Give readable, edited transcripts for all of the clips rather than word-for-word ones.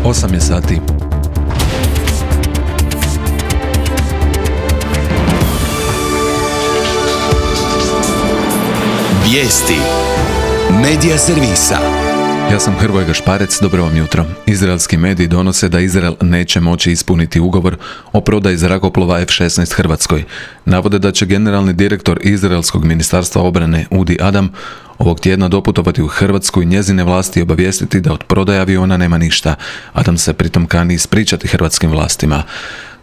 8 je sati. Vijesti Medija servisa. Ja sam Hrvoje Gašparec, dobro vam jutro. Izraelski mediji donose da Izrael neće moći ispuniti ugovor o prodaji zrakoplova F-16 Hrvatskoj. Navode da će generalni direktor Izraelskog ministarstva obrane Udi Adam ovog tjedna doputovati u Hrvatsku i njezine vlasti obavijestiti da od prodaje aviona nema ništa. Adam se pritom kani ispričati hrvatskim vlastima.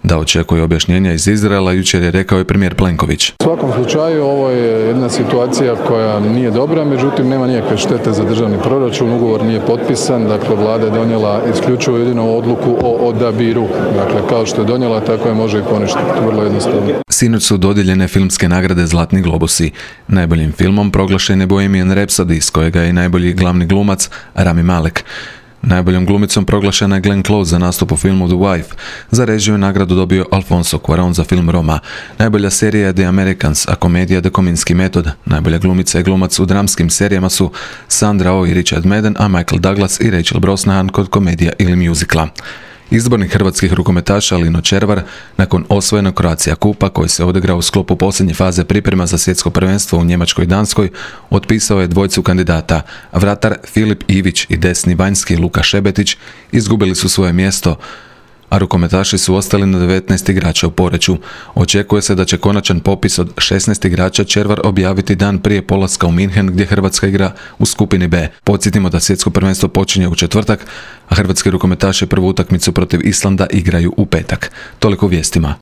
Da očekuje objašnjenja iz Izraela, jučer je rekao i premijer Plenković. U svakom slučaju ovo je jedna situacija koja nije dobra, međutim nema nikakve štete za državni proračun, ugovor nije potpisan, dakle vlada je donijela isključivo jedinu odluku o odabiru. Dakle, kao što je donijela, tako je može i poništiti, vrlo jednostavno. Sinoć su dodijeljene filmske nagrade Zlatni globusi. Najboljim filmom proglašen je Bohemian Rhapsody, iz kojega je i najbolji glavni glumac Rami Malek. Najboljom glumicom proglašena je Glenn Close za nastup u filmu The Wife. Za režiju je nagradu dobio Alfonso Cuarón za film Roma. Najbolja serija je The Americans, a komedija The Kominski metod. Najbolja glumica i glumac u dramskim serijama su Sandra Oh i Richard Madden, a Michael Douglas i Rachel Brosnahan kod komedija ili muzikla. Izbornik hrvatskih rukometaša Lino Červar, nakon osvojenog Croatia Kupa koji se odigrao u sklopu posljednje faze priprema za svjetsko prvenstvo u Njemačkoj i Danskoj, otpisao je dvojcu kandidata. Vratar Filip Ivić i desni vanjski Luka Šebetić izgubili su svoje mjesto, a rukometaši su ostali na 19 igrača u Poreču. Očekuje se da će konačan popis od 16 igrača Červar objaviti dan prije polaska u Minhen, gdje Hrvatska igra u skupini B. Podsjetimo da svjetsko prvenstvo počinje u četvrtak, a hrvatski rukometaši prvu utakmicu protiv Islanda igraju u petak. Toliko u vijestima.